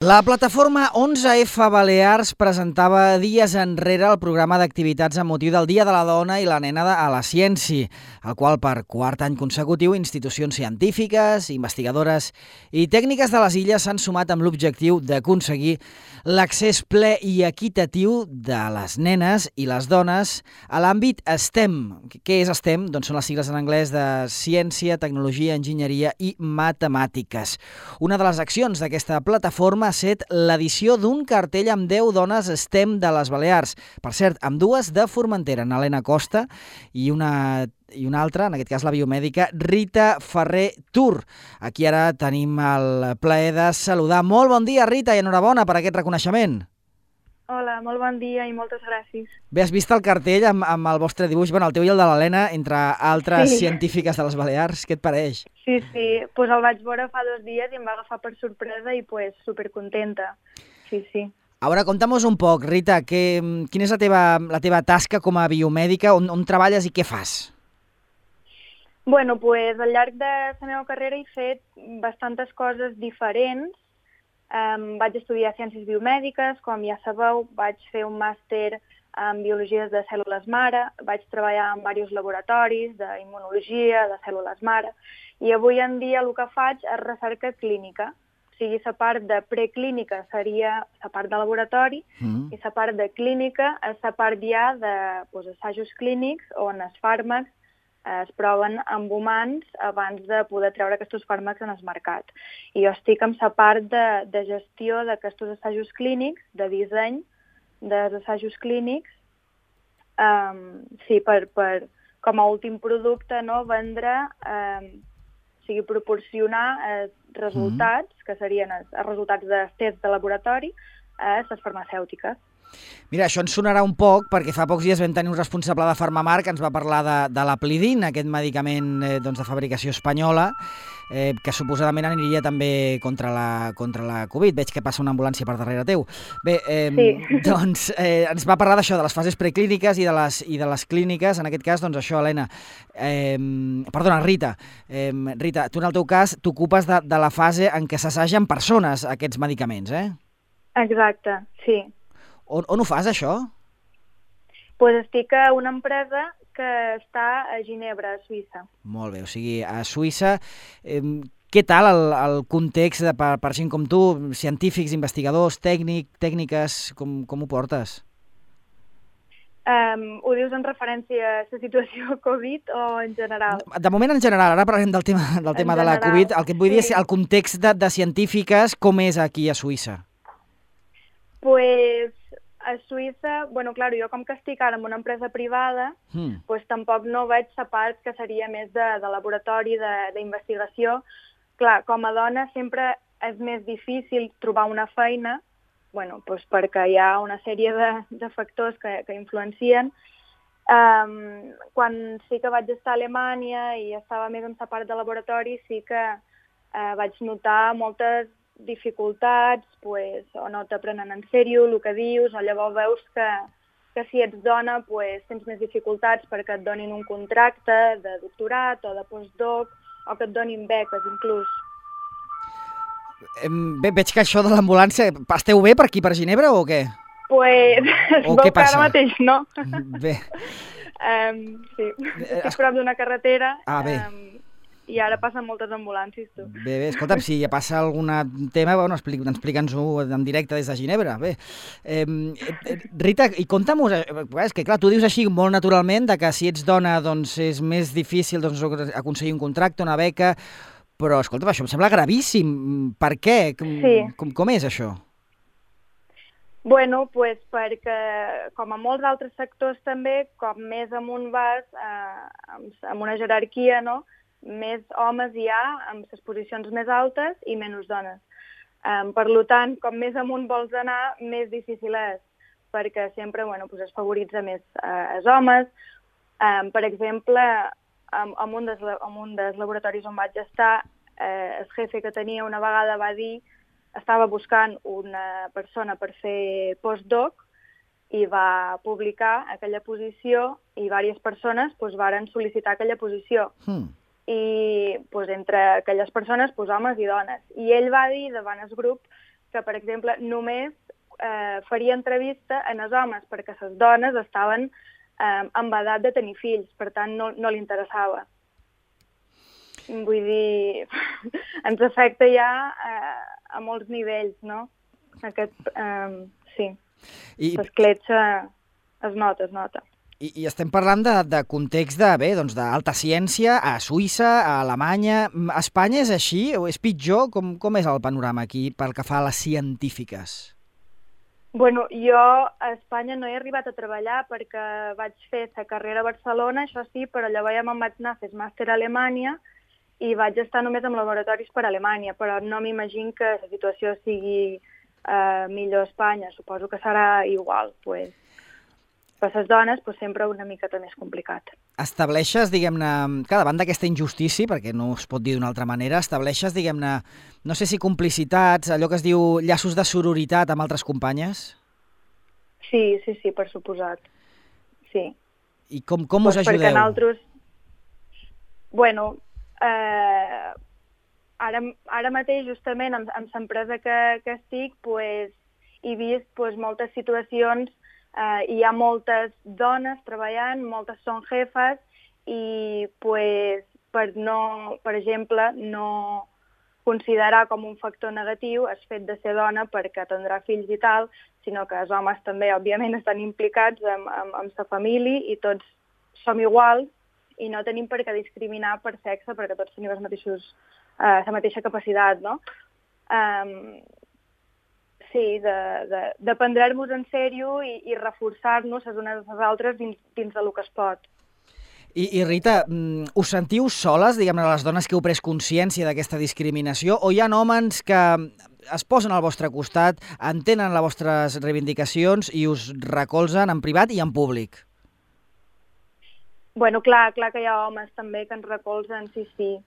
La plataforma 11F Balears presentava dies enrere el programa d'activitats amb motiu del Dia de la Dona i la Nena a la Ciència, el qual per quart any consecutiu institucions científiques, investigadores i tècniques de les illes s'han sumat amb l'objectiu d'aconseguir l'accés ple i equitatiu de les nenes i les dones a l'àmbit STEM. Què és STEM? Doncs són les sigles en anglès de Ciència, Tecnologia, Enginyeria i Matemàtiques. Una de les accions d'aquesta plataforma ha set l'edició d'un cartell amb 10 dones STEM de les Balears. Per cert, amb dues de Formentera, Helena Costa i una altra, en aquest cas la biomèdica, Rita Ferrer Tur. Aquí ara tenim el plaer de saludar. Molt bon dia, Rita, i enhorabona per aquest reconeixement. Hola, molt bon dia i moltes gràcies. Bé, has vist el cartell amb el vostre dibuix, el teu i el de l'Helena, entre altres científiques de les Balears. Què et pareix? Sí, pues el vaig veure fa 2 dies i em va agafar per sorpresa i pues supercontenta. Sí. Ara, conta'm-nos un poc, Rita, quina és la teva tasca com a biomèdica, on treballes i què fas? Bueno, pues al llarg de la meva carrera he fet bastantes coses diferents. Vaig estudiar ciències biomèdiques, com ja sabeu, vaig fer un màster en biologies de cèl·lules mare, vaig treballar en diversos laboratoris d'immunologia, de cèl·lules mare, i avui en dia el que faig és recerca clínica. O sigui, la part de preclínica seria la part de laboratori i la part de clínica és la part ja d'assajos clínics on els fàrmacs es proven amb humans abans de poder treure aquests fàrmacs en el mercat. I jo estic en la part de gestió d'aquests assajos clínics, de disseny dels assajos clínics, per com a últim producte, vendre, proporcionar resultats, que serien els resultats dels tests de laboratori, a les farmacèutiques. Mira, això ens sonarà un poc, perquè fa pocs dies vam tenir un responsable de Farmamar que ens va parlar de l'Aplidin, aquest medicament de fabricació espanyola, que suposadament aniria també contra la Covid. Veig que passa una ambulància per darrere teu. Bé, doncs ens va parlar d'això, de les fases preclíniques i de les clíniques. En aquest cas, doncs això, Helena. Perdona, Rita. Rita, tu en el teu cas t'ocupes de la fase en què s'assagen persones aquests medicaments, eh? Exacte, sí. On ho fas, això? Doncs estic a una empresa que està a Ginebra, a Suïssa. Molt bé, o sigui, a Suïssa. Què tal el context per gent com tu, científics, investigadors, tècniques, com ho portes? Ho dius en referència a la situació Covid o en general? De moment en general, ara parlarem del tema de la Covid. El que et vull dir és el context de científiques, com és aquí a Suïssa? Pues a Suïssa, clar, jo com que estic ara en una empresa privada, pues tampoc no veig la part que seria més de laboratori, d'investigació. Clar, com a dona sempre és més difícil trobar una feina, pues perquè hi ha una sèrie de factors que influencien. Quan sí que vaig estar a Alemanya i estava més en la part de laboratori, sí que vaig notar moltes dificultats, o no t'aprenen en sèrio el que dius, o llavors veus que si ets dona tens més dificultats perquè et donin un contracte de doctorat o de postdoc, o que et donin beques, inclús. Bé, veig que això de l'ambulància... Esteu bé per aquí, per Ginebra, o què? Es veu que ara mateix no. Bé. Sí, estic prop d'una carretera. Bé. I ara passen moltes ambulàncies, tu. Bé, escolta'm, si ja passa algun tema, explica'ns-ho en directe des de Ginebra. Bé, Rita, i conta'm-ho, és que clar, tu dius així molt naturalment que si ets dona doncs és més difícil aconseguir un contracte, una beca, però escolta'm, això em sembla gravíssim. Per què? Sí. Com és això? Bueno, pues perquè, com a molts altres sectors també, com més amunt vas, amb una jerarquia, més homes hi ha amb les posicions més altes i menys dones. Per tant, com més amunt vols anar, més difícil és, perquè sempre es favoritza més els homes. Per exemple, en un dels laboratoris on vaig estar, el jefe que tenia una vegada va dir que estava buscant una persona per fer postdoc i va publicar aquella posició i diverses persones varen sol·licitar aquella posició. I entre aquelles persones, homes i dones. I ell va dir davant el grup que, per exemple, només faria entrevista en els homes, perquè les dones estaven amb edat de tenir fills, per tant no li interessava. Vull dir, ens afecta ja a molts nivells, no? Sí, l'escletxa es nota. I estem parlant de context d'alta ciència, a Suïssa, a Alemanya. A Espanya és així o és pitjor? Com és el panorama aquí pel que fa a les científiques? Bueno, jo a Espanya no he arribat a treballar perquè vaig fer la carrera a Barcelona, això sí, però llavors ja me'n vaig anar a fer màster a Alemanya i vaig estar només en laboratoris per a Alemanya, però no m'imagino que la situació sigui millor a Espanya, suposo que serà igual, pues. Per les dones sempre una miqueta més complicat. Estableixes, diguem-ne, davant d'aquesta injustícia, perquè no es pot dir d'una altra manera, estableixes, diguem-ne, no sé si complicitats, allò que es diu llaços de sororitat amb altres companyes? Sí, per suposat. Sí. I com us ajudeu? Perquè nosaltres... Bueno, ara mateix, justament, amb l'empresa que estic, he vist moltes situacions. Hi ha moltes dones treballant, moltes són jefes i per exemple, no considerar com un factor negatiu el fet de ser dona perquè tindrà fills i tal, sinó que els homes també, òbviament, estan implicats amb la família i tots som iguals i no tenim per què discriminar per sexe perquè tots tenim la mateixa capacitat, no? Sí, de prendre-nos en sèrio i reforçar-nos les unes a les altres dins del que es pot. I Rita, us sentiu soles, diguem-ne, les dones que heu pres consciència d'aquesta discriminació, o hi ha homes que es posen al vostre costat, entenen les vostres reivindicacions i us recolzen en privat i en públic? Bueno, clar que hi ha homes també que ens recolzen, sí.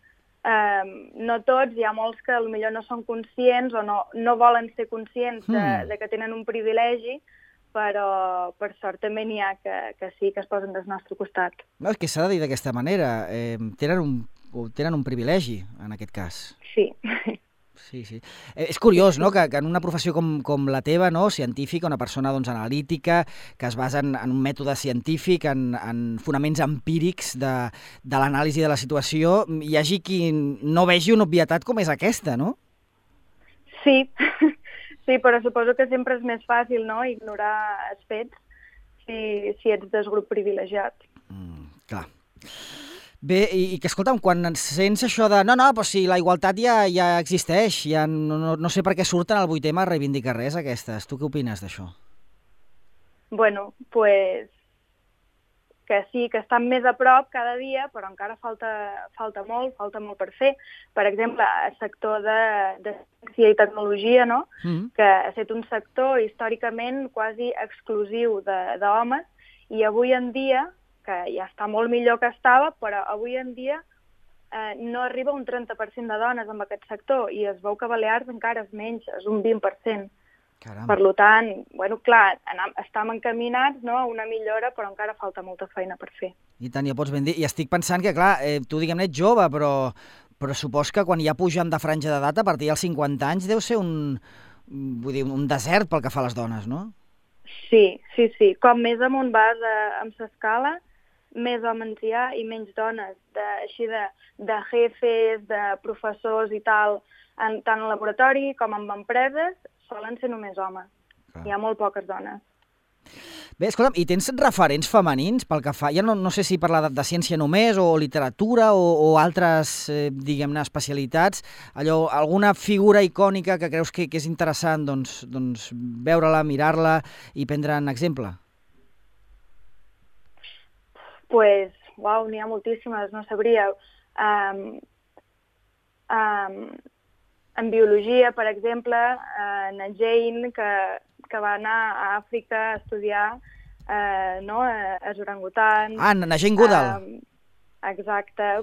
No tots, hi ha molts que potser no són conscients o no volen ser conscients de que tenen un privilegi, però per sort també n'hi ha que sí, que es posen del nostre costat. No, és que s'ha de dir d'aquesta manera, tenen un privilegi en aquest cas. Sí. Sí. És curiós, no?, que en una professió com la teva, no?, científica, una persona analítica, que es basa en un mètode científic, en fonaments empírics de l'anàlisi de la situació, hi hagi qui no vegi una obvietat com és aquesta, no? Sí, però suposo que sempre és més fàcil, no?, ignorar els fets si ets del grup privilegiat. Clar. Bé, i que escolta'm, quan sents això de però si la igualtat ja existeix, ja no sé per què surten al 8M a reivindicar res aquestes. Tu què opines d'això? Bueno, que sí, que estan més a prop cada dia, però encara falta molt per fer. Per exemple, el sector de ciència i tecnologia, no? Que ha estat un sector històricament quasi exclusiu d'homes, i avui en dia, que ja està molt millor que estava, però avui en dia no arriba un 30% de dones en aquest sector, i es veu que a Balears encara és menys, és un 20%. Caram. Per tant, bueno, clar, estem encaminats, no?, a una millora, però encara falta molta feina per fer. I tant, ja pots ben dir. I estic pensant que, clar, tu, diguem-ne, ets jove, però supos que quan ja pugem de franja d'edat, a partir dels 50 anys, deu ser un desert pel que fa a les dones, no? Sí. Com més amunt vas amb l'escala, més homes hi ha i menys dones, així de jefes, de professors i tal, tant en laboratori com en empreses, solen ser només homes. Hi ha molt poques dones. Bé, escolta'm, i tens referents femenins pel que fa, ja no sé si parlar de ciència només, o literatura, o altres, diguem-ne, especialitats, alguna figura icònica que creus que és interessant doncs veure-la, mirar-la i prendre'n exemple? N'hi ha moltíssimes, no sabria. En biologia, per exemple, na Jane, que va anar a Àfrica a estudiar els orangutans. Na Jane Goodall. Exacte,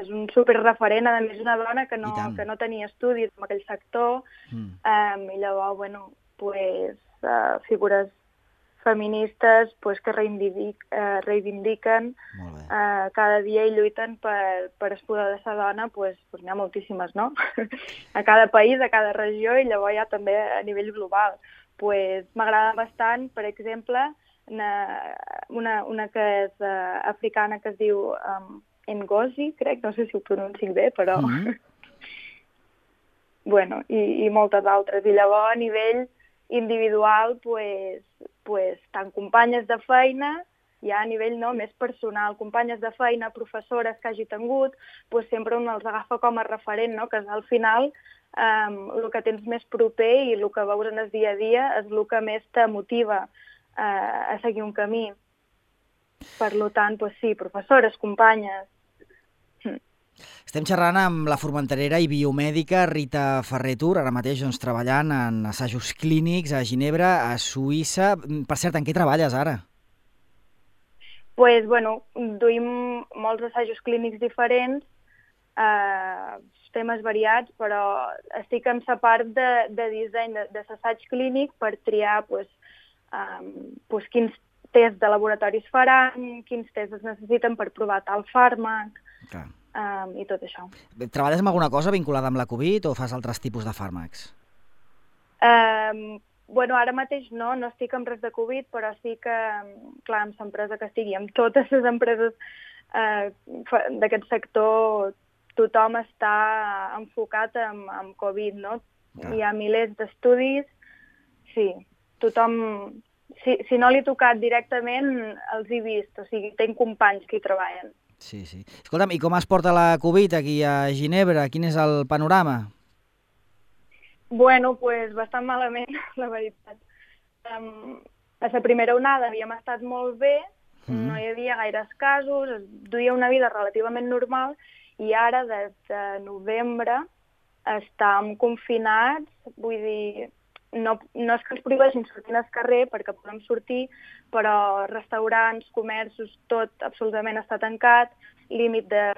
és un superreferent, a més una dona que no tenia estudis en aquell sector, i llavors, figures feministes pues, que reivindiquen cada dia i lluiten per poder ser dona, pues, n'hi ha moltíssimes, no? A cada país, a cada regió, i llavors ja també a nivell global. Pues, m'agrada bastant, per exemple, una que és africana que es diu Ngozi, crec, no sé si ho pronuncio bé, però... bueno, i moltes altres. I llavors, a nivell individual, tant companyes de feina, ja a nivell més personal, companyes de feina, professores que hagi tingut, sempre un els agafa com a referent, no? Que al final el que tens més proper i el que veus en el dia a dia és el que més te motiva a seguir un camí. Per tant, sí, professores, companyes. Estem xerrant amb la formenterera i biomèdica Rita Ferrer-Tur, ara mateix treballant en assajos clínics a Ginebra, a Suïssa. Per cert, en què treballes ara? Duim molts assajos clínics diferents, temes variats, però estic en la part de disseny d'assaig clínic per triar quins tests de laboratoris faran, quins tests es necessiten per provar tal fàrmac. Clar. I tot això. Treballes amb alguna cosa vinculada amb la Covid o fas altres tipus de fàrmacs? Ara mateix no estic en res de Covid, però sí que, clar, amb l'empresa que estigui, amb totes les empreses d'aquest sector, tothom està enfocat en Covid, no? Clar. Hi ha milers d'estudis, sí, tothom... Si no l'he tocat directament, els he vist, o sigui, tinc companys que hi treballen. Sí. Escolta'm, i com es porta la Covid aquí a Ginebra? Quin és el panorama? Bastant malament, la veritat. A la primera onada havíem estat molt bé, no hi havia gaires casos, es duia una vida relativament normal, i ara, des de novembre, estàvem confinats, vull dir... No és que ens prohibeixin sortir al carrer perquè podem sortir, però restaurants, comerços, tot absolutament està tancat, límit de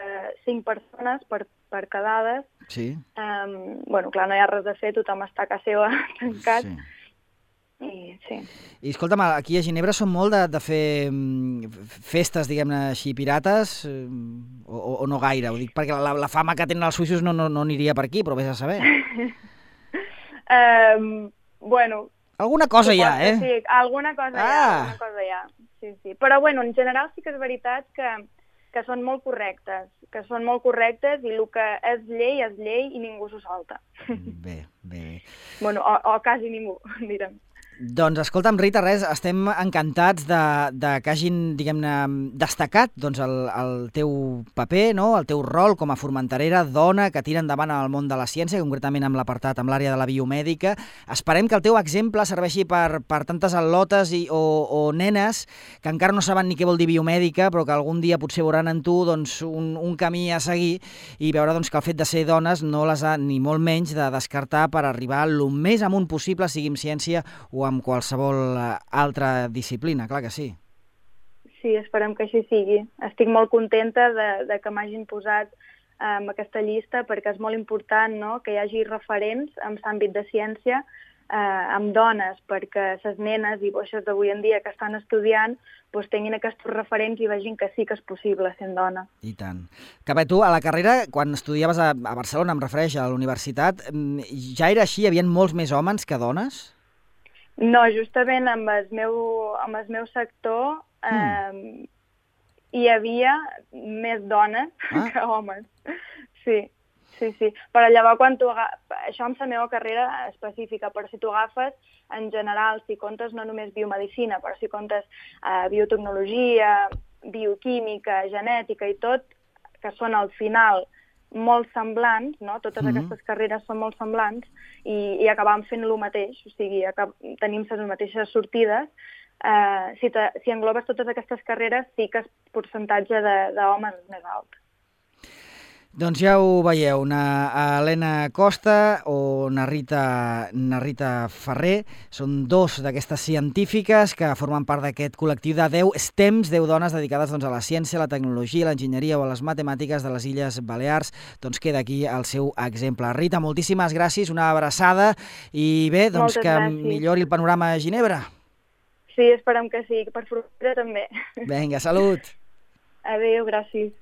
5 persones per quedades. Sí. Clar, no hi ha res a fer, tothom està a casa seva tancat. Sí. I escolta'm, aquí a Ginebra són molt de fer festes, diguem-ne així, pirates, o no gaire? Ho dic perquè la fama que tenen els suïssos no aniria per aquí, però vés a saber. Alguna cosa hi ha, eh? Sí, alguna cosa hi ha. Sí. Però, en general sí que és veritat que són molt correctes, i el que és llei i ningú s'ho salta. Bé. O quasi ningú, direm. Doncs escolta'm, Rita, estem encantats de que hagin, diguem-ne, destacat el teu paper, no? El teu rol com a formenterera, dona, que tira endavant el món de la ciència, concretament amb l'apartat, amb l'àrea de la biomèdica. Esperem que el teu exemple serveixi per tantes al·lotes o nenes que encara no saben ni què vol dir biomèdica, però que algun dia potser veuran en tu un camí a seguir i veure que el fet de ser dones no les ha ni molt menys de descartar per arribar el més amunt possible, sigui en ciència o amb qualsevol altra disciplina, clar que sí. Sí, esperem que així sigui. Estic molt contenta de que m'hagin posat en aquesta llista perquè és molt important, no?, que hi hagi referents en l'àmbit de ciència amb dones, perquè les nenes i boixes d'avui en dia que estan estudiant tinguin aquests referents i vegin que sí que és possible sent dona. I tant. Que bé, tu a la carrera, quan estudiaves a Barcelona, em refereix a la universitat, ja era així? Hi havia molts més homes que dones? No, justament amb el meu sector hi havia més dones que homes. Sí. Però llavors, això amb la meva carrera específica, però si tu agafes, en general, si comptes no només biomedicina, però si comptes biotecnologia, bioquímica, genètica i tot, que són al final molt semblants, no? Totes aquestes carreres són molt semblants i acabam fent el mateix, o sigui, tenim les mateixes sortides. Si englobes totes aquestes carreres, sí que el percentatge d'homes és més alt. Doncs ja ho veieu, na Helena Costa o na Rita Ferrer són dos d'aquestes científiques que formen part d'aquest col·lectiu de 10 STEMs, 10 dones dedicades a la ciència, la tecnologia, l'enginyeria o a les matemàtiques de les Illes Balears. Doncs queda aquí el seu exemple. Rita, moltíssimes gràcies, una abraçada i bé, doncs que millori el panorama a Ginebra. Sí, esperem que sí, per fructera també. Vinga, salut! Adéu, gràcies.